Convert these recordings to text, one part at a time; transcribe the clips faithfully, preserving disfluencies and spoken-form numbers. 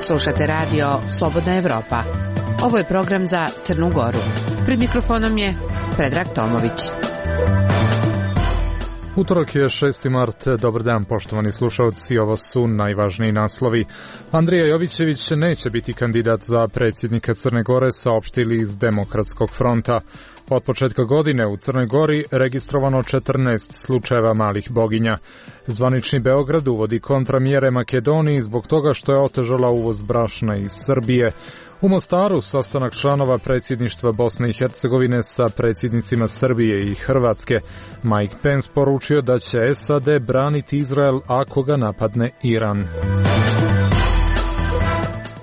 Slušate radio Slobodna Evropa. Ovo je program za Crnu Goru. Pred mikrofonom je Predrag Tomović. Utorak je šesti mart. Dobar dan, poštovani slušalci. Ovo su najvažniji naslovi. Andrija Jovićević neće biti kandidat za predsjednika Crne Gore, saopštili iz Demokratskog fronta. Od početka godine u Crnoj Gori registrovano četrnaest slučajeva malih boginja. Zvanični Beograd uvodi kontramjere Makedoniji zbog toga što je otežala uvoz brašna iz Srbije. U Mostaru sastanak članova predsjedništva Bosne i Hercegovine sa predsjednicima Srbije i Hrvatske. Mike Pence poručio da će S A D braniti Izrael ako ga napadne Iran.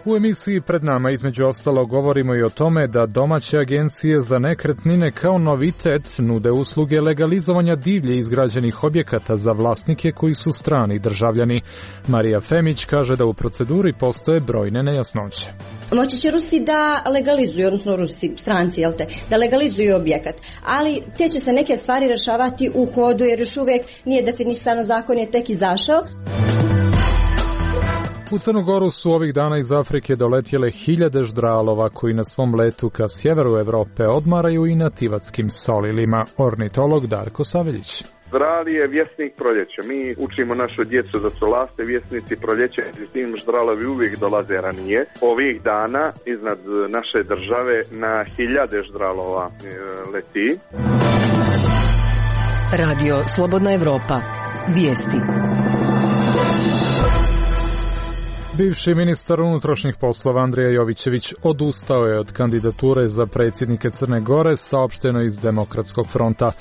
U emisiji pred nama između ostalo govorimo i o tome da domaće agencije za nekretnine kao novitet nude usluge legalizovanja divlje izgrađenih objekata za vlasnike koji su strani državljani. Marija Femić kaže da u proceduri postoje brojne nejasnoće. Moći će Rusi da legalizuju, odnosno Rusi, stranci, jel te, da legalizuju objekat, ali te će se neke stvari rešavati u hodu jer još uvijek nije definisano, zakon je tek izašao. U Crnu Goru su ovih dana iz Afrike doletjele hiljade ždralova koji na svom letu ka sjeveru Evrope odmaraju i na tivatskim solilima. Ornitolog Darko Saveljić. Ždral je vjesnik proljeća. Mi učimo našu djecu da su laste vjesnici proljeća, s tim ždralovi uvijek dolaze ranije. Ovih dana iznad naše države na hiljade ždralova leti. Radio Slobodna Evropa. Vijesti. Bivši ministar unutrašnjih poslova Andrija Jovićević odustao je od kandidature za predsjednike Crne Gore, saopšteno iz Demokratskog fronta.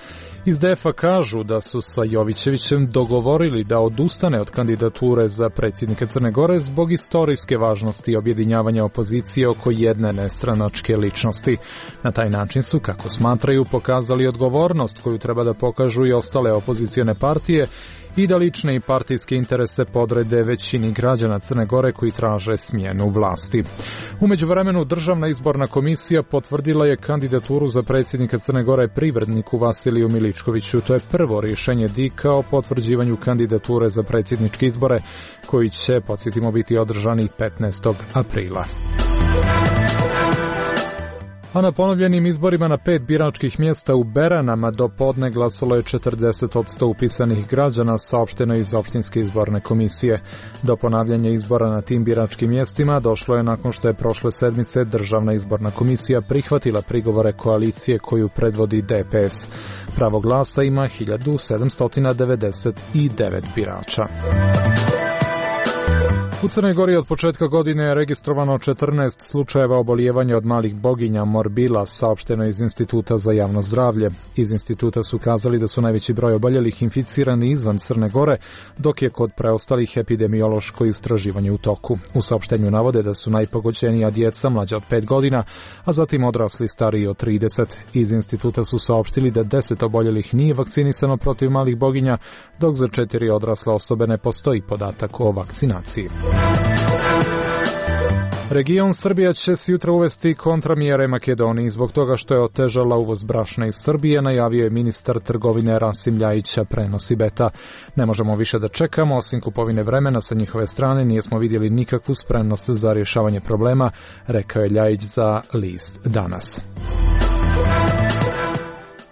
Iz D F A kažu da su sa Jovićevićem dogovorili da odustane od kandidature za predsjednika Crne Gore zbog istorijske važnosti objedinjavanja opozicije oko jedne nestranačke ličnosti. Na taj način su, kako smatraju, pokazali odgovornost koju treba da pokažu i ostale opozicione partije i da lične i partijske interese podrede većini građana Crne Gore koji traže smjenu vlasti. U međuvremenu Državna izborna komisija potvrdila je kandidaturu za predsjednika Crne Gore privredniku Vasiliju Miličkoviću. To je prvo rješenje D I K-a o potvrđivanju kandidature za predsjedničke izbore koji će, podsjetimo, biti održani petnaestog aprila. A na ponovljenim izborima na pet biračkih mjesta u Beranama do podne glasalo je četrdeset posto upisanih građana, saopšteno iz opštinske izborne komisije. Do ponavljanja izbora na tim biračkim mjestima došlo je nakon što je prošle sedmice Državna izborna komisija prihvatila prigovore koalicije koju predvodi D P S. Pravo glasa ima hiljadu sedamsto devedeset devet birača. U Crnoj Gori od početka godine je registrovano četrnaest slučajeva obolijevanja od malih boginja morbila, saopšteno iz Instituta za javno zdravlje. Iz instituta su kazali da su najveći broj oboljelih inficirani izvan Crne Gore, dok je kod preostalih epidemiološko istraživanje u toku. U saopštenju navode da su najpogođenija djeca mlađa od pet godina, a zatim odrasli stariji od trideset. Iz instituta su saopštili da deset oboljelih nije vakcinisano protiv malih boginja, dok za četiri odrasle osobe ne postoji podatak o vakcinaciji. Region Srbija će se jutra uvesti kontramjere Makedoniji zbog toga što je otežala uvoz brašna iz Srbije, najavio je ministar trgovine Rasim Ljajića, prenosi Beta. Ne možemo više da čekamo, osim kupovine vremena sa njihove strane nismo vidjeli nikakvu spremnost za rješavanje problema, rekao je Ljajić za list Danas.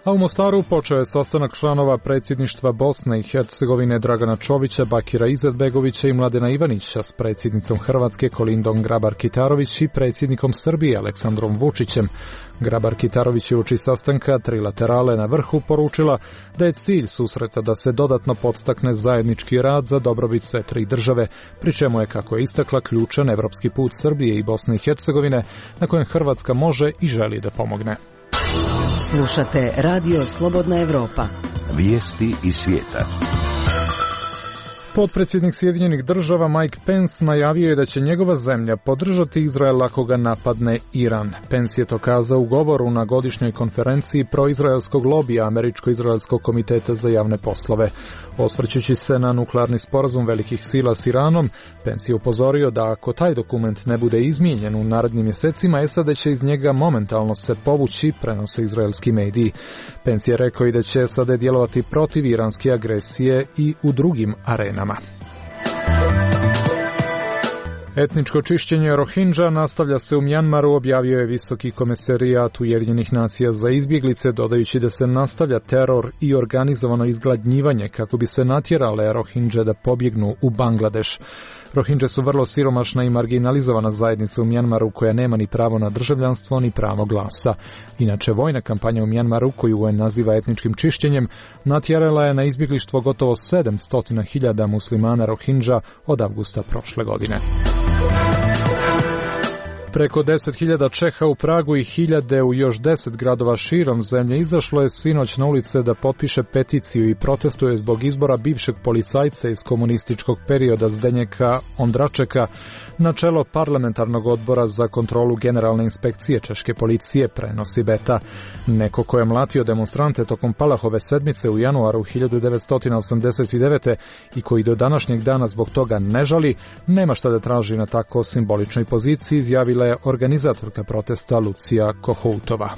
A u Mostaru počeo je sastanak članova predsjedništva Bosne i Hercegovine Dragana Čovića, Bakira Izetbegovića i Mladena Ivanića s predsjednicom Hrvatske Kolindom Grabar-Kitarović i predsjednikom Srbije Aleksandrom Vučićem. Grabar-Kitarović je uoči sastanka trilaterale na vrhu poručila da je cilj susreta da se dodatno podstakne zajednički rad za dobrobit sve tri države, pri čemu je, kako je istakla, ključan evropski put Srbije i Bosne i Hercegovine na kojem Hrvatska može i želi da pomogne. Slušate Radio Slobodna Evropa. Vijesti iz svijeta. Potpredsjednik Sjedinjenih država Mike Pence najavio je da će njegova zemlja podržati Izrael ako ga napadne Iran. Pence je to kazao u govoru na godišnjoj konferenciji proizraelskog lobija Američko-izraelskog komiteta za javne poslove. Osvrćući se na nuklearni sporazum velikih sila s Iranom, Pence je upozorio da ako taj dokument ne bude izmijenjen u narednim mjesecima, S A D će iz njega momentalno se povući, prenose izraelski mediji. Pence je rekao i da će S A D djelovati protiv iranske agresije i u drugim arenama. Etničko čišćenje Rohingya nastavlja se u Mjanmaru, objavio je Visoki komesarijat Ujedinjenih nacija za izbjeglice, dodajući da se nastavlja teror i organizovano izgladnjivanje kako bi se natjerale Rohingya da pobjegnu u Bangladeš. Rohingya su vrlo siromašna i marginalizovana zajednica u Mjanmaru koja nema ni pravo na državljanstvo ni pravo glasa. Inače, vojna kampanja u Mjanmaru, koju U N naziva etničkim čišćenjem, natjerala je na izbjeglištvo gotovo sedamsto hiljada muslimana Rohingya od avgusta prošle godine. Preko deset hiljada Čeha u Pragu i hiljade u još deset gradova širom zemlje izašlo je sinoć na ulice da potpiše peticiju i protestuje zbog izbora bivšeg policajca iz komunističkog perioda Zdenjeka Ondračeka na čelo parlamentarnog odbora za kontrolu generalne inspekcije češke policije, prenosi Beta. Neko ko je mlatio demonstrante tokom Palahove sedmice u januaru hiljadu devetsto osamdeset devete i koji do današnjeg dana zbog toga ne žali, nema šta da traži na tako simboličnoj poziciji, izjavila je organizatorka protesta Lucija Kohoutova.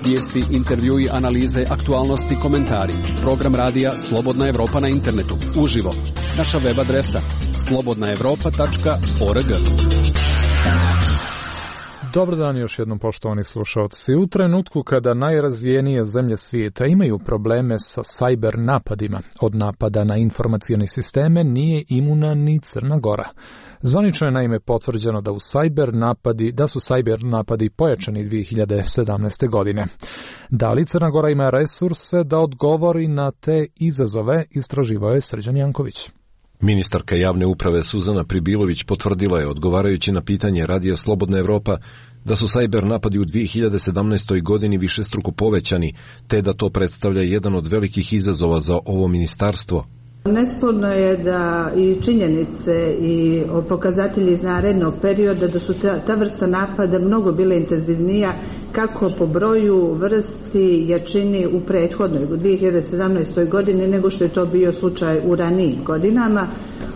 Vijesti, intervjui, analize, aktualnosti, komentari. Program radija Slobodna Evropa na internetu. Uživo. Naša web adresa slobodna evropa tačka org. Dobar dan još jednom, poštovani slušalci. U trenutku kada najrazvijenije zemlje svijeta imaju probleme sa sajber napadima, od napada na informacione sisteme nije imuna ni Crna Gora. Zvanično je naime potvrđeno da u sajber napadi, da su sajber napadi pojačani dvije hiljade sedamnaeste. godine. Da li Crna Gora ima resurse da odgovori na te izazove, istraživao je Srđan Janković. Ministarka javne uprave Suzana Pribilović potvrdila je, odgovarajući na pitanje Radija Slobodna Evropa, da su sajber napadi u dvije hiljade sedamnaestoj. godini višestruko povećani, te da to predstavlja jedan od velikih izazova za ovo ministarstvo. Nesporno je da i činjenice i pokazatelji iz narednog perioda da su ta, ta vrsta napada mnogo bile intenzivnija kako po broju, vrsti, jačini u prethodnoj u dvije hiljade sedamnaestoj. godini nego što je to bio slučaj u ranijim godinama.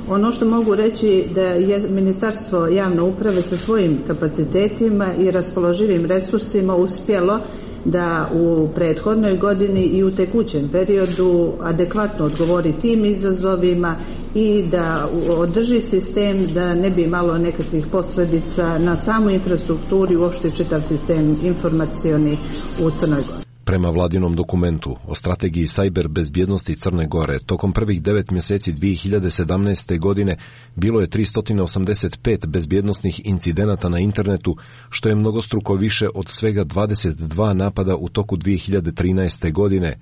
Ono što mogu reći da je Ministarstvo javne uprave sa svojim kapacitetima i raspoloživim resursima uspjelo da u prethodnoj godini i u tekućem periodu adekvatno odgovori tim izazovima i da održi sistem da ne bi imalo nekakvih posljedica na samu infrastrukturu i uopšte čitav sistem informacioni u Crnoj Gori. Prema vladinom dokumentu o strategiji sajber bezbjednosti Crne Gore, tokom prvih devet mjeseci dvije hiljade sedamnaeste. godine bilo je tristo osamdeset pet bezbjednosnih incidenata na internetu, što je mnogostruko više od svega dvadeset dva napada u toku dvije hiljade trinaeste. godine.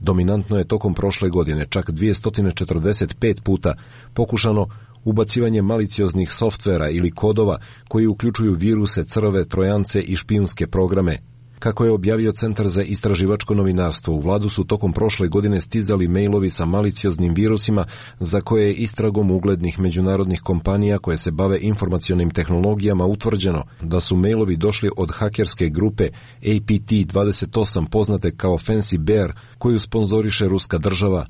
Dominantno je tokom prošle godine čak dvjesto četrdeset pet puta pokušano ubacivanje malicioznih softvera ili kodova koji uključuju viruse, crve, trojance i špijunske programe. Kako je objavio Centar za istraživačko novinarstvo, u vladu su tokom prošle godine stizali mailovi sa malicioznim virusima za koje je istragom uglednih međunarodnih kompanija koje se bave informacionim tehnologijama utvrđeno da su mailovi došli od hakerske grupe A P T dvadeset osam poznate kao Fancy Bear koju sponzoriše ruska država.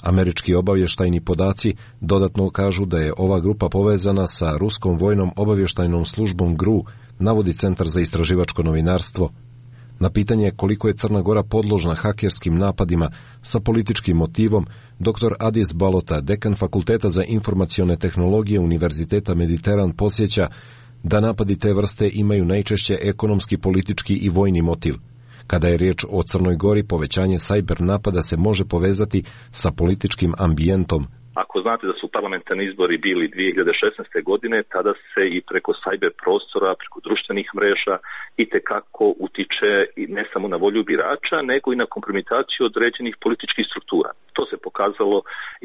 Američki obavještajni podaci dodatno kažu da je ova grupa povezana sa ruskom vojnom obavještajnom službom G R U, navodi Centar za istraživačko novinarstvo. Na pitanje koliko je Crna Gora podložna hakerskim napadima sa političkim motivom, doktor Adis Balota, dekan Fakulteta za informacione tehnologije Univerziteta Mediteran, podsjeća da napadi te vrste imaju najčešće ekonomski, politički i vojni motiv. Kada je riječ o Crnoj Gori, povećanje sajber napada se može povezati sa političkim ambijentom. Ako znate da su parlamentarni izbori bili dvije hiljade šesnaeste. godine, tada se i preko sajber prostora, preko društvenih mreža itekako utiče i ne samo na volju birača, nego i na kompromitaciju određenih političkih struktura. To se pokazalo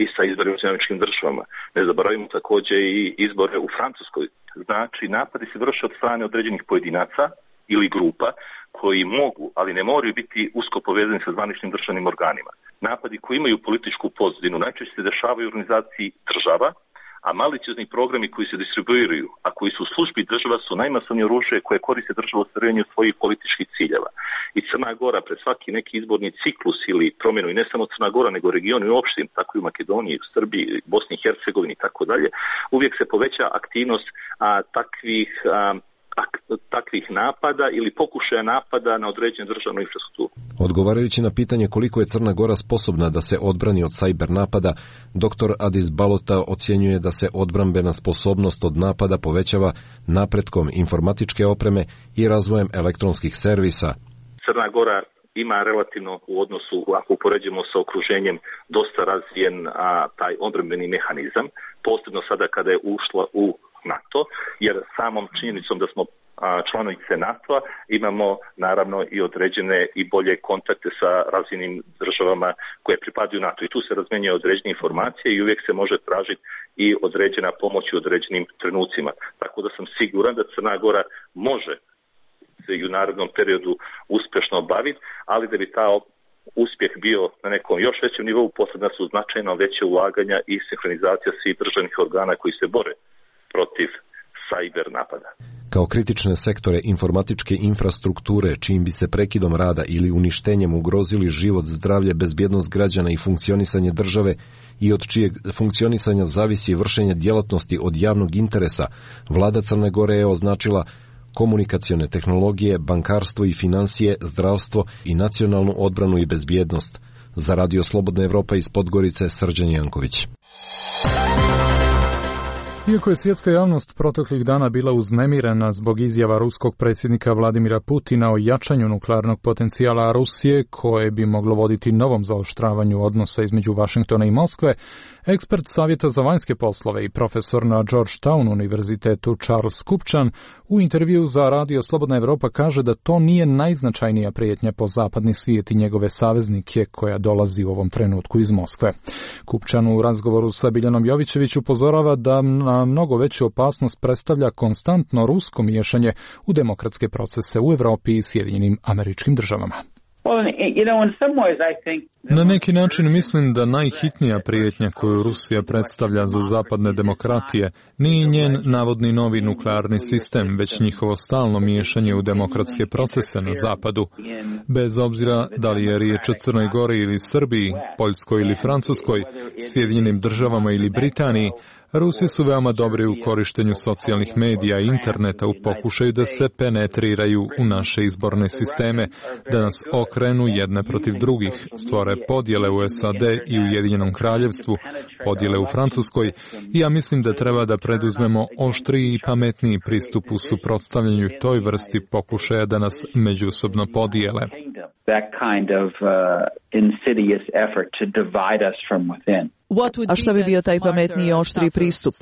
i sa izborima u Američkim državama. Ne zaboravimo također i izbore u Francuskoj. Znači, napadi se vrše od strane određenih pojedinaca ili grupa koji mogu, ali ne moraju biti usko povezani sa zvaničnim državnim organima. Napadi koji imaju političku pozadinu najčešće se dešavaju u organizaciji država, a maliciozni programi koji se distribuiraju, a koji su u službi država, su najmasovnije oružje koje koriste država u ostvarivanju svojih političkih ciljeva. I Crna Gora pred svaki neki izborni ciklus ili promjenu, i ne samo Crna Gora, nego regionu i opštim, tako i u Makedoniji, u Srbiji, Bosni i Hercegovini i tako dalje, uvijek se poveća aktivnost a, takvih a, takvih napada ili pokušaja napada na određenu državnu infrastrukturu. Odgovarajući na pitanje koliko je Crna Gora sposobna da se odbrani od sajber napada, doktor Adis Balota ocjenjuje da se odbrambena sposobnost od napada povećava napretkom informatičke opreme i razvojem elektronskih servisa. Crna Gora ima relativno u odnosu, ako upoređujemo sa okruženjem, dosta razvijen a, taj odbrambeni mehanizam, posebno sada kada je ušla u NATO, jer samom činjenicom da smo a, članovice NATO-a imamo naravno i određene i bolje kontakte sa razvijenim državama koje pripadaju NATO. I tu se razmenjuje određene informacije i uvijek se može tražiti i određena pomoć u određenim trenucima. Tako da sam siguran da Crna Gora može i u narednom periodu uspješno obaviti, ali da bi ta uspjeh bio na nekom još većem nivou, potrebna su značajno veće ulaganja i sinhronizacija svih državnih organa koji se bore protiv sajber napada. Kao kritične sektore informatičke infrastrukture, čijim bi se prekidom rada ili uništenjem ugrozili život, zdravlje, bezbjednost građana i funkcionisanje države i od čijeg funkcionisanja zavisi vršenje djelatnosti od javnog interesa, vlada Crne Gore je označila komunikacione tehnologije, bankarstvo i financije, zdravstvo i nacionalnu odbranu i bezbjednost. Za Radio Slobodna Evropa iz Podgorice, Srđan Janković. Iako je svjetska javnost proteklih dana bila uznemirena zbog izjava ruskog predsjednika Vladimira Putina o jačanju nuklearnog potencijala Rusije, koje bi moglo voditi novom zaoštravanju odnosa između Vašingtona i Moskve, ekspert Savjeta za vanjske poslove i profesor na Georgetown univerzitetu Charles Kupčan u intervju za Radio Slobodna Evropa kaže da to nije najznačajnija prijetnja po zapadni svijet i njegove saveznike koja dolazi u ovom trenutku iz Moskve. Kupčan u razgovoru sa Biljanom Jovićević upozorava da na mnogo veću opasnost predstavlja konstantno rusko miješanje u demokratske procese u Evropi i Sjedinjenim Američkim Državama. Na neki način mislim da najhitnija prijetnja koju Rusija predstavlja za zapadne demokratije nije njen navodni novi nuklearni sistem, već njihovo stalno miješanje u demokratske procese na zapadu. Bez obzira da li je riječ o Crnoj Gori ili Srbiji, Poljskoj ili Francuskoj, Sjedinjenim Državama ili Britaniji, Rusi su veoma dobri u korištenju socijalnih medija i interneta u pokušaju da se penetriraju u naše izborne sisteme, da nas okrenu jedne protiv drugih, stvore podjele u S A D i Ujedinjenom Kraljevstvu, podjele u Francuskoj, i ja mislim da treba da preduzmemo oštriji i pametniji pristup u suprotstavljanju toj vrsti pokušaja da nas međusobno podijele. A šta bi bio taj pametniji i oštri pristup?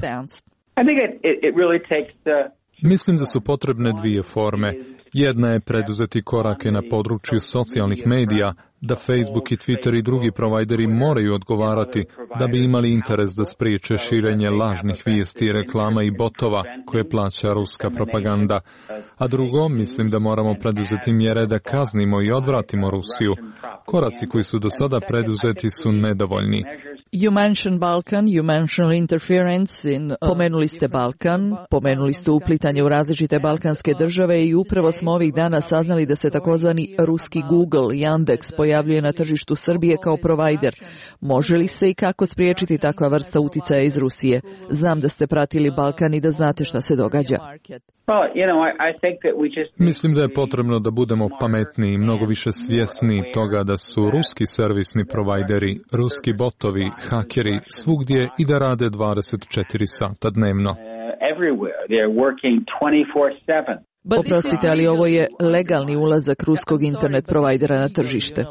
Mislim da su potrebne dvije forme. Jedna je preduzeti korake na području socijalnih medija, da Facebook i Twitter i drugi provajderi moraju odgovarati da bi imali interes da spriječe širenje lažnih vijesti, reklama i botova koje plaća ruska propaganda. A drugo, mislim da moramo preduzeti mjere da kaznimo i odvratimo Rusiju. Koraci koji su do sada preduzeti su nedovoljni. You mentioned Balkan, you mentioned interference in... Uh, pomenuli ste Balkan, pomenuli ste uplitanje u različite balkanske države i upravo smo ovih dana saznali da se takozvani ruski Google, Yandex, pojavljuje na tržištu Srbije kao provajder. Može li se i kako spriječiti takva vrsta uticaja iz Rusije? Znam da ste pratili Balkan i da znate šta se događa. Mislim da je potrebno da budemo pametniji i mnogo više svjesni toga da su ruski servisni provajderi, ruski botovi, hakeri svugdje i da rade dvadeset četiri sata dnevno. Oprostite, ali ovo je legalni ulazak ruskog internet provajdera na tržište.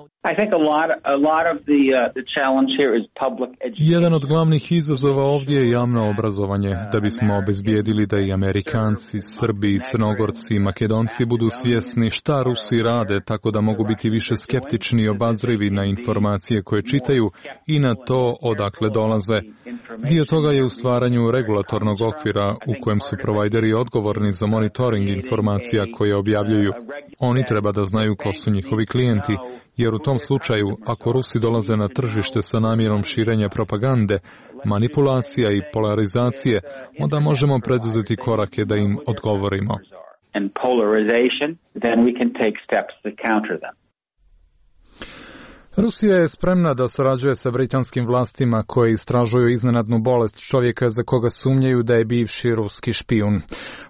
Jedan od glavnih izazova ovdje je javno obrazovanje, da bismo obezbijedili da i Amerikanci, Srbi, Crnogorci i Makedonci budu svjesni šta Rusi rade, tako da mogu biti više skeptični i obazrivi na informacije koje čitaju i na to odakle dolaze. Dio toga je u stvaranju regulatornog okvira u kojem su provajderi odgovorni za monitoring informacija koje objavljuju. Oni treba da znaju ko su njihovi klijenti, jer u tom slučaju, ako Rusi dolaze na tržište sa namjerom širenja propagande, manipulacija i polarizacije, onda možemo preduzeti korake da im odgovorimo. Rusija je spremna da sarađuje sa britanskim vlastima koje istražuju iznenadnu bolest čovjeka za koga sumnjaju da je bivši ruski špijun.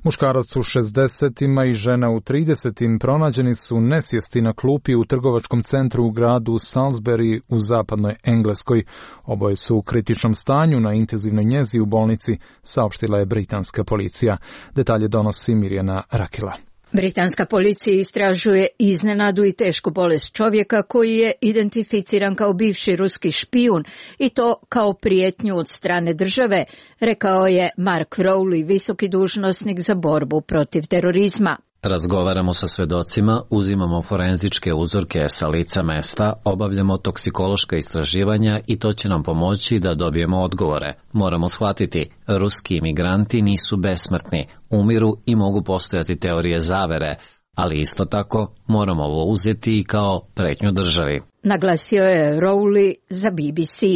Muškarac u šezdesetima i žena u tridesetim pronađeni su nesvijesti na klupi u trgovačkom centru u gradu Salisbury u zapadnoj Engleskoj. Oboje su u kritičnom stanju na intenzivnoj njezi u bolnici, saopštila je britanska policija. Detalje donosi Mirjana Rakela. Britanska policija istražuje iznenadu i tešku bolest čovjeka koji je identificiran kao bivši ruski špijun i to kao prijetnju od strane države, rekao je Mark Rowley, visoki dužnosnik za borbu protiv terorizma. Razgovaramo sa svedocima, uzimamo forenzičke uzorke sa lica mesta, obavljamo toksikološka istraživanja i to će nam pomoći da dobijemo odgovore. Moramo shvatiti, ruski imigranti nisu besmrtni, umiru i mogu postojati teorije zavere, ali isto tako moramo ovo uzeti i kao pretnju državi. Naglasio je Rowley za B B C.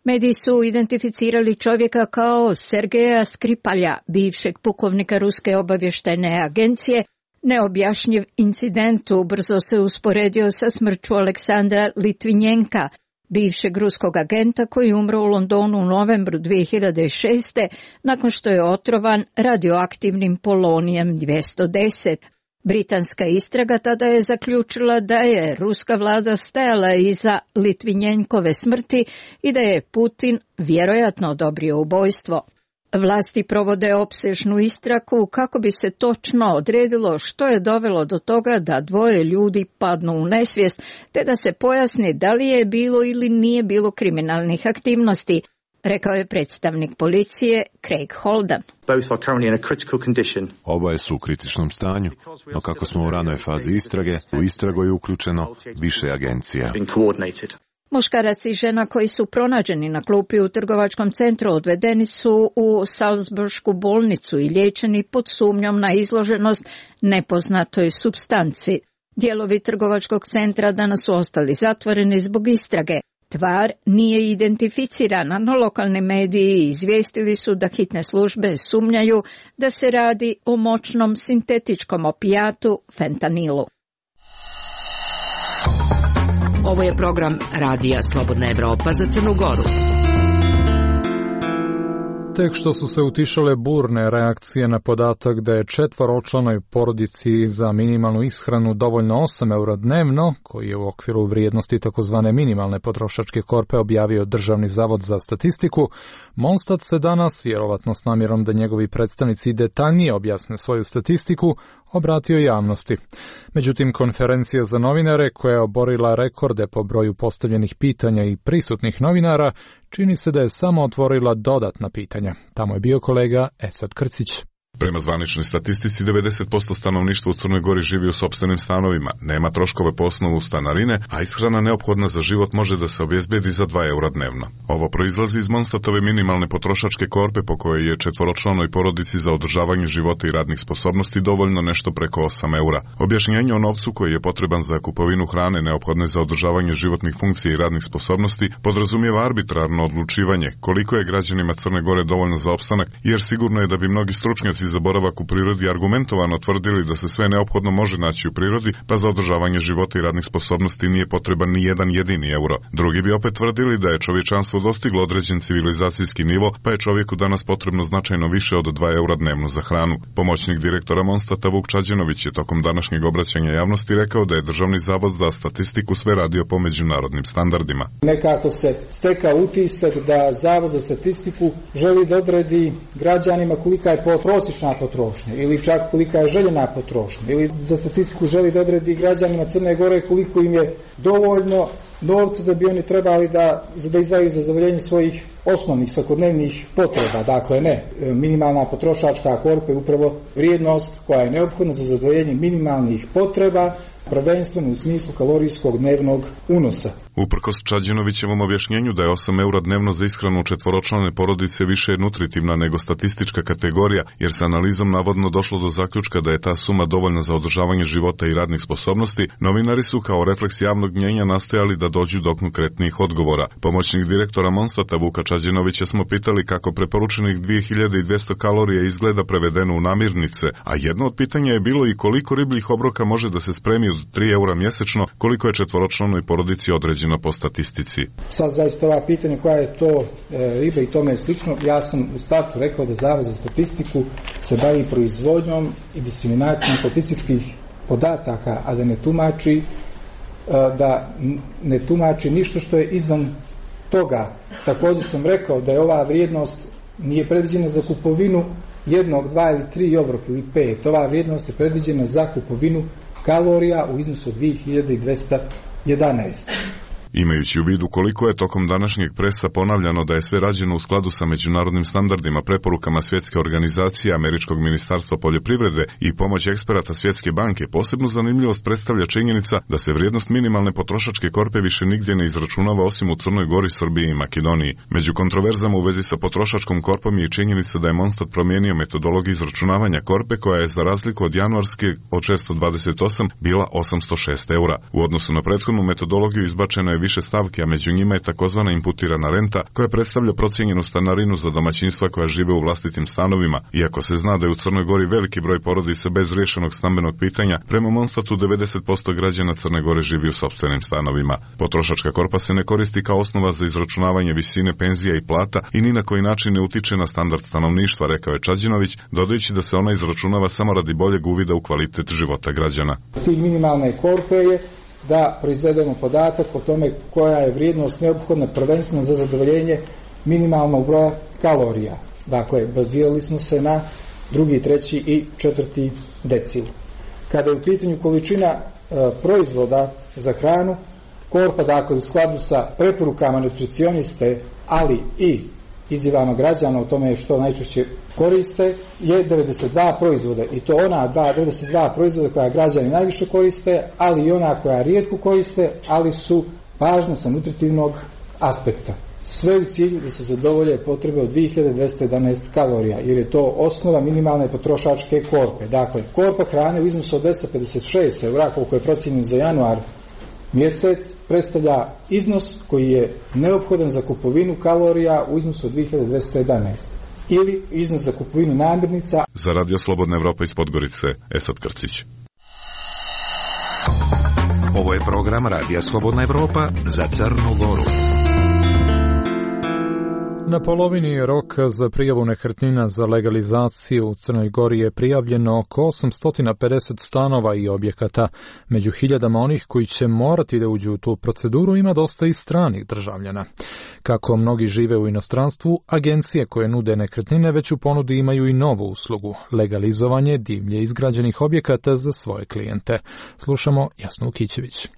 Mediji su identificirali čovjeka kao Sergeja Skripalja, bivšeg pukovnika Ruske obavještajne agencije. Neobjašnjiv incident ubrzo se usporedio sa smrću Aleksandra Litvinjenka, bivšeg ruskog agenta koji umro u Londonu u novembru dvije hiljade šeste. nakon što je otrovan radioaktivnim polonijem dvjesto deset. Britanska istraga tada je zaključila da je ruska vlada stajala iza Litvinjenkove smrti i da je Putin vjerojatno odobrio ubojstvo. Vlasti provode opsežnu istragu kako bi se točno odredilo što je dovelo do toga da dvoje ljudi padnu u nesvijest, te da se pojasni da li je bilo ili nije bilo kriminalnih aktivnosti, rekao je predstavnik policije Craig Holden. Oboje su u kritičnom stanju, no kako smo u ranoj fazi istrage, u istragu je uključeno više agencija. Muškarac i žena koji su pronađeni na klupi u trgovačkom centru odvedeni su u Salisbursku bolnicu i liječeni pod sumnjom na izloženost nepoznatoj supstanci. Dijelovi trgovačkog centra danas su ostali zatvoreni zbog istrage. Tvar nije identificirana, no lokalni mediji izvijestili su da hitne službe sumnjaju da se radi o moćnom sintetičkom opijatu fentanilu. Ovo je program Radija Slobodna Evropa za Crnu Goru. Tek što su se utišale burne reakcije na podatak da je četvoročlanoj porodici za minimalnu ishranu dovoljno osam eura dnevno, koji je u okviru vrijednosti takozvane minimalne potrošačke korpe objavio Državni zavod za statistiku, Monstat se danas, vjerovatno s namjerom da njegovi predstavnici detaljnije objasne svoju statistiku, obratio javnosti. Međutim, konferencija za novinare, koja je oborila rekorde po broju postavljenih pitanja i prisutnih novinara, čini se da je samo otvorila dodatna pitanja. Tamo je bio kolega Esad Krcić. Prema zvaničnoj statistici, devedeset posto stanovništva u Crnoj Gori živi u sopstvenim stanovima, nema troškove po osnovu stanarine, a ishrana neophodna za život može da se obezbedi za dva eura dnevno. Ovo proizlazi iz Monstatove minimalne potrošačke korpe po kojoj je četvoročlanoj porodici za održavanje života i radnih sposobnosti dovoljno nešto preko osam eura. Objašnjenje o novcu koji je potreban za kupovinu hrane neophodne za održavanje životnih funkcija i radnih sposobnosti podrazumijeva arbitrarno odlučivanje koliko je građanima Crne Gore dovoljno za opstanak, jer sigurno je da bi mnogi stručnjaci za boravak u prirodi argumentovano tvrdili da se sve neophodno može naći u prirodi, pa za održavanje života i radnih sposobnosti nije potreban ni jedan jedini euro. Drugi bi opet tvrdili da je čovječanstvo dostiglo određen civilizacijski nivo, pa je čovjeku danas potrebno značajno više od dva eura dnevno za hranu. Pomoćnik direktora Monstata Vuk Čađenović je tokom današnjeg obraćanja javnosti rekao da je Državni zavod za statistiku sve radio po međunarodnim standardima. Nekako se steka utisak da Zavod za statistiku želi da odredi građanima kolika je prosječna potrošnja ili čak kolika je željena potrošnja, ili za statistiku želi da odredi građanima Crne Gore koliko im je dovoljno novca da bi oni trebali da, da izdvajaju za zadovoljenje svojih osnovnih svakodnevnih potreba. Dakle, ne, minimalna potrošačka korpa je upravo vrijednost koja je neophodna za zadovoljenje minimalnih potreba, prvenstveno u smislu kalorijskog dnevnog unosa. Uprkos Čađenovićevom objašnjenju da je osam eura dnevno za ishranu četvoročlane porodice više nutritivna nego statistička kategorija, jer sa analizom navodno došlo do zaključka da je ta suma dovoljna za održavanje života i radnih sposobnosti, novinari su kao refleks javnog mnjenja nastojali da dođu do konkretnijih odgovora. Pomoćnik direktora Monstata Vuka Čađenović Čađinovića smo pitali kako preporučenih dvije hiljade dvjesto kalorija izgleda prevedeno u namirnice, a jedno od pitanja je bilo i koliko ribljih obroka može da se spremi od tri eura mjesečno, koliko je četvoročlanoj porodici određeno po statistici. Sad zaista ova pitanja koja je to e, riba i tome je slično, ja sam u startu rekao da Zavod za statistiku se bavi proizvodnjom i diseminacijom statističkih podataka, a da ne tumači da ne tumači ništa što je izvan toga. Također sam rekao da je ova vrijednost nije predviđena za kupovinu jednog, dva ili tri obroka ili pet. Ova vrijednost je predviđena za kupovinu kalorija u iznosu od dvije hiljade dvjesto jedanaest. Imajući u vidu koliko je tokom današnjeg presa ponavljano da je sve rađeno u skladu sa međunarodnim standardima, preporukama Svjetske organizacije, Američkog ministarstva poljoprivrede i pomoć eksperata Svjetske banke, posebnu zanimljivost predstavlja činjenica da se vrijednost minimalne potrošačke korpe više nigdje ne izračunava osim u Crnoj Gori, Srbiji i Makedoniji. Među kontroverzama u vezi sa potrošačkom korpom je činjenica da je Monstat promijenio metodologiju izračunavanja korpe koja je za razliku od januarske od šesto dvadeset osam bila osamsto šest eura. U odnosu na prethodnu metodologiju izbačeno je više stavki, a među njima je takozvana imputirana renta koja predstavlja procijenjenu stanarinu za domaćinstva koja žive u vlastitim stanovima. Iako se zna da je u Crnoj Gori veliki broj porodica bez riješenog stambenog pitanja, prema Monstatu devedeset posto građana Crne Gore živi u sopstvenim stanovima. Potrošačka korpa se ne koristi kao osnova za izračunavanje visine penzija i plata i ni na koji način ne utiče na standard stanovništva, rekao je Čađinović, dodajući da se ona izračunava samo radi boljeg uvida u kvalitet života građana. Cilj minimalne korpe je da proizvedemo podatak o tome koja je vrijednost neophodna prvenstveno za zadovoljenje minimalnog broja kalorija. Dakle, bazirali smo se na drugi, treći i četvrti decil. Kada je u pitanju količina e, proizvoda za hranu, korpa, dakle, u skladu sa preporukama nutricioniste, ali i izjavama građana o tome što najčešće koriste, je devedeset dva proizvoda, i to ona devedeset dva proizvoda koja građani najviše koriste, ali i ona koja rijetko koriste, ali su važna sa nutritivnog aspekta. Sve u cilju da se zadovolje potrebe od dvije hiljade dvjesto jedanaest kalorija, jer je to osnova minimalne potrošačke korpe. Dakle, korpa hrane u iznosu od dvjesto pedeset šest eura, koliko je procijenjen za januar mjesec, predstavlja iznos koji je neophodan za kupovinu kalorija u iznosu od dvije hiljade dvjesto jedanaest. Ili iznos za kupovinu namirnica. Za Radio Slobodna Evropa iz Podgorice, Esad Krcić. Ovo je program Radija Slobodna Evropa za Crnu Goru. Na polovini je rok za prijavu nekretnina za legalizaciju. U Crnoj Gori je prijavljeno oko osamsto pedeset stanova i objekata. Među hiljadama onih koji će morati da uđu u tu proceduru ima dosta i stranih državljana. Kako mnogi žive u inostranstvu, agencije koje nude nekretnine već u ponudi imaju i novu uslugu, legalizovanje divlje izgrađenih objekata za svoje klijente. Slušamo Jasnu Kićević.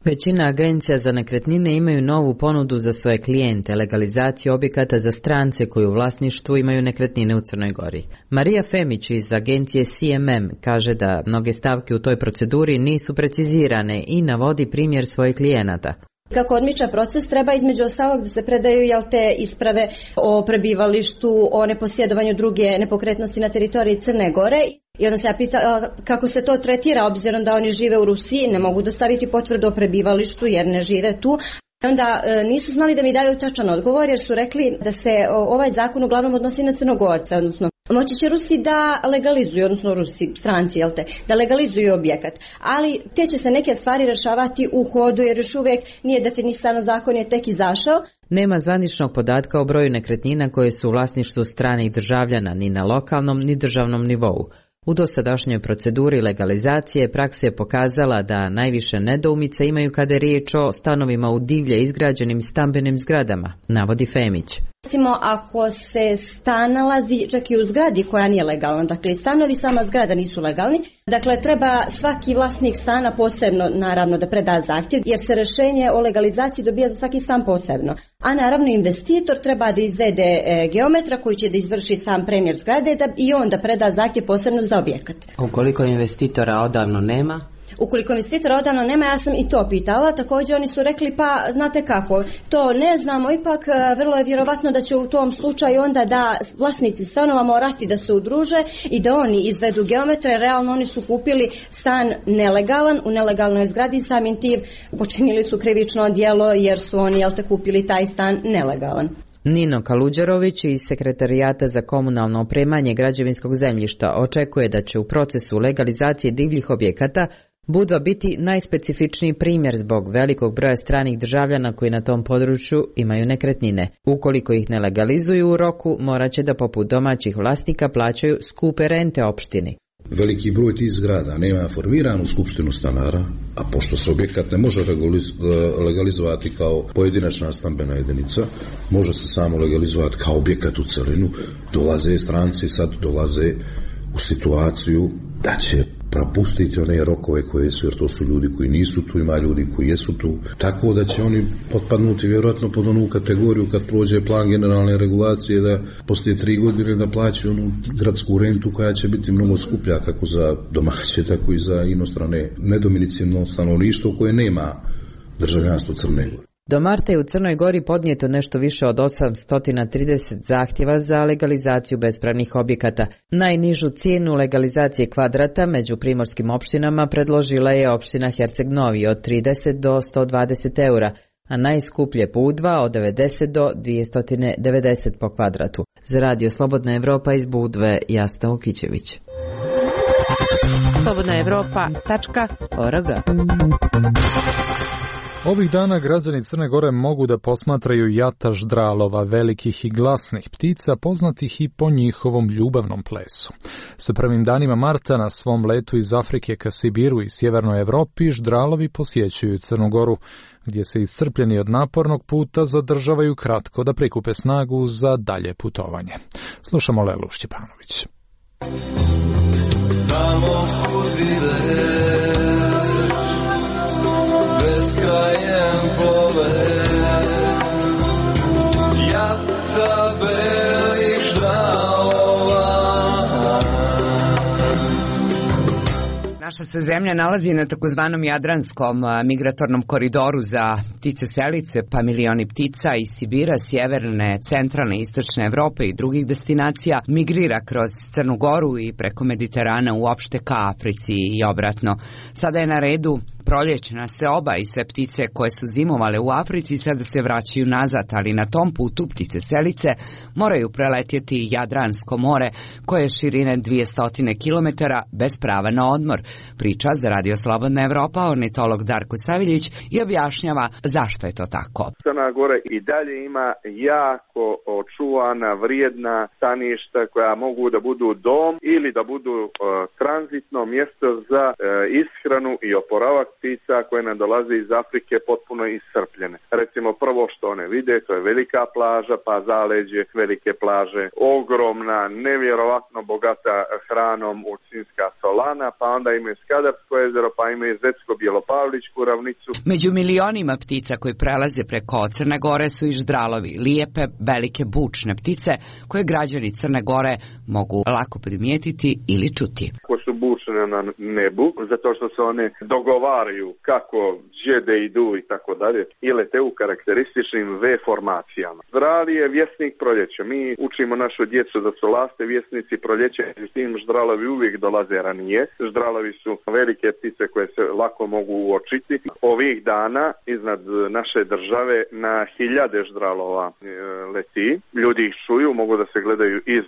Većina agencija za nekretnine imaju novu ponudu za svoje klijente, legalizaciju objekata za strance koji u vlasništvu imaju nekretnine u Crnoj Gori. Marija Femić iz agencije C M M kaže da mnoge stavke u toj proceduri nisu precizirane i navodi primjer svojih klijenata. Kako odmiča proces, treba između ostalog da se predaju jel te isprave o prebivalištu, o neposjedovanju druge nepokretnosti na teritoriji Crne Gore. I onda se ja pita kako se to tretira, obzirom da oni žive u Rusiji, ne mogu dostaviti potvrdu o prebivalištu jer ne žive tu. Onda e, nisu znali da mi daju tačan odgovor jer su rekli da se o, ovaj zakon uglavnom odnosi na Crnogorce, odnosno moći će Rusi da legalizuju, odnosno Rusi, stranci, jel te, da legalizuju objekat, ali te će se neke stvari rešavati u hodu jer još uvijek nije definisano, zakon je tek izašao. Nema zvaničnog podatka o broju nekretnina koje su u vlasništvu stranih državljana ni na lokalnom ni državnom nivou. U dosadašnjoj proceduri legalizacije praksa je pokazala da najviše nedoumica imaju kada je riječ o stanovima u divlje izgrađenim stambenim zgradama, navodi Femić. Recimo, ako se stan nalazi čak i u zgradi koja nije legalna, dakle stanovi sama zgrada nisu legalni, dakle treba svaki vlasnik stana posebno naravno da preda zahtjev, jer se rješenje o legalizaciji dobija za svaki stan posebno. A naravno investitor treba da izvede e, geometra koji će da izvrši sam premjer zgrade da, i on da preda zahtjev posebno za objekat. Ukoliko investitora odavno nema? Ukoliko investitora odavno nema, ja sam i to pitala, također oni su rekli pa znate kako, to ne znamo, ipak vrlo je vjerovatno da će u tom slučaju onda da vlasnici stanova morati da se udruže i da oni izvedu geometre, realno oni su kupili stan nelegalan u nelegalnoj zgradi, samim tim počinili su krivično djelo jer su oni jel te kupili taj stan nelegalan. Nino Kaluđerović iz Sekretarijata za komunalno opremanje građevinskog zemljišta očekuje da će u procesu legalizacije divljih objekata Budva biti najspecifičniji primjer zbog velikog broja stranih državljana koji na tom području imaju nekretnine. Ukoliko ih ne legalizuju u roku, morat će da poput domaćih vlasnika plaćaju skupe rente opštini. Veliki broj tih zgrada nema formiranu skupštinu stanara, a pošto se objekat ne može legalizovati kao pojedinačna stambena jedinica, može se samo legalizovati kao objekat u celinu, dolaze stranci, sad dolaze u situaciju da će propustiti one rokove koje su, jer to su ljudi koji nisu tu, ima ljudi koji jesu tu, tako da će oni potpadnuti vjerojatno pod onu kategoriju kad prođe plan generalne regulacije da poslije tri godine da plaćaju onu gradsku rentu koja će biti mnogo skuplja kako za domaće, tako i za inostrane nedomicilno stanovništvo koje nema državljanstvo Crne Gore. Do marta je u Crnoj Gori podnijeto nešto više od osamsto trideset zahtjeva za legalizaciju bespravnih objekata. Najnižu cijenu legalizacije kvadrata među primorskim opštinama predložila je opština Herceg Novi od trideset do sto dvadeset eura, a najskuplje Budva od devedeset do dvjesto devedeset po kvadratu. Za Radio Slobodna Evropa iz Budve, Jasta Ukićević. slobodna evropa tačka org. Ovih dana građani Crne Gore mogu da posmatraju jata ždralova, velikih i glasnih ptica, poznatih i po njihovom ljubavnom plesu. Sa prvim danima marta na svom letu iz Afrike ka Sibiru i sjevernoj Evropi ždralovi posjećuju Crnu Goru, gdje se iscrpljeni od napornog puta zadržavaju kratko da prikupe snagu za dalje putovanje. Slušamo Lelu Šćepanović. Tamo hudile krajem plove, jata belih ždralova. Naša se zemlja nalazi na takozvanom Jadranskom migratornom koridoru za ptice selice, pa milioni ptica iz Sibira, sjeverne, centralne, istočne Evrope i drugih destinacija migrira kroz Crnu Goru i preko Mediterana uopšte ka Africi i obratno. Sada je na redu proljećna seoba i sve ptice koje su zimovale u Africi sada se vraćaju nazad, ali na tom putu ptice selice moraju preletjeti Jadransko more koje je širine dvjesto kilometara bez prava na odmor. Priča za Radio Slobodna Evropa ornitolog Darko Saviljić i objašnjava zašto je to tako. Crna Gora i dalje ima jako očuvana, vrijedna staništa koja mogu da budu dom ili da budu uh, tranzitno mjesto za uh, ishranu i oporavak ptica koje nam dolaze iz Afrike potpuno iscrpljene. Recimo prvo što one vide, to je velika plaža, pa zaleđe velike plaže, ogromna, nevjerovatno bogata hranom Ulcinska solana, pa onda imaju Skadarsko jezero, pa imaju Zetsko-Bjelopavličku ravnicu. Među milionima ptica koji prelaze preko Crne Gore su i ždralovi, lijepe, velike bučne ptice koje građani Crne Gore mogu lako primijetiti ili čuti. Ko su bučne na nebu, zato što se one dogovaraju kako gdje idu i tako dalje, i lete u karakterističnim V formacijama. Ždrali je vjesnik proljeća. Mi učimo našu djecu da su laste vjesnici proljeća i s tim ždralovi uvijek dolaze ranije. Ždralovi su velike ptice koje se lako mogu uočiti. Ovih dana iznad naše države na hiljade ždralova leti. Ljudi ih čuju, mogu da se gledaju iz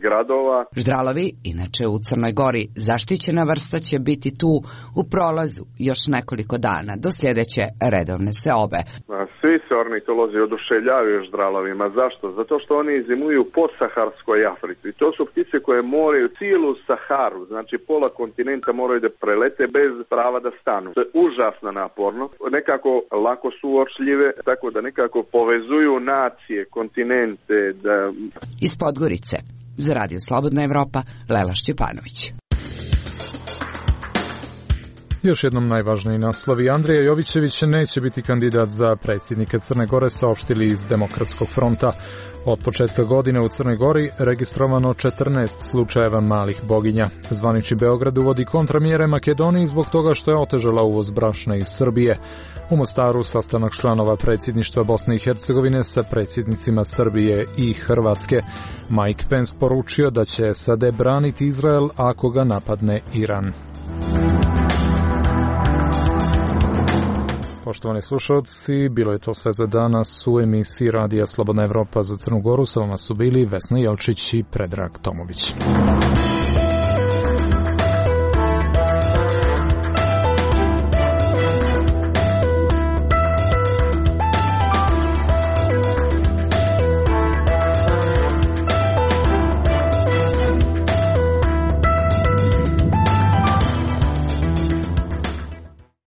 gradova. Ždralovi, inače u Crnoj Gori, zaštićena vrsta će biti tu u prolazu još nekoliko dana do sljedeće redovne seobe. Svi se ornitolozi oduševljavaju ždralovima. Zašto? Zato što oni zimuju po Saharskoj Africi. To su ptice koje moraju cijelu Saharu, znači pola kontinenta moraju da prelete bez prava da stanu. To je užasno naporno. Nekako lako su uočljive, tako da nekako povezuju nacije, kontinente. Da... Iz Podgorice, za Radio Slobodna Evropa, Lela Šćepanović. Još jednom najvažniji naslovi. Andrija Jovićević neće biti kandidat za predsjednika Crne Gore, saopštili iz Demokratskog fronta. Od početka godine u Crnoj Gori registrovano četrnaest slučajeva malih boginja. Zvanični Beograd uvodi kontramjere Makedoniji zbog toga što je otežala uvoz brašna iz Srbije. U Mostaru sastanak članova predsjedništva Bosne i Hercegovine sa predsjednicima Srbije i Hrvatske. Mike Pence poručio da će S A D braniti Izrael ako ga napadne Iran. Poštovani slušalci, bilo je to sve za danas u emisiji Radija Slobodna Evropa za Crnu Goru. Sa vama su bili Vesna Jelčić i Predrag Tomović.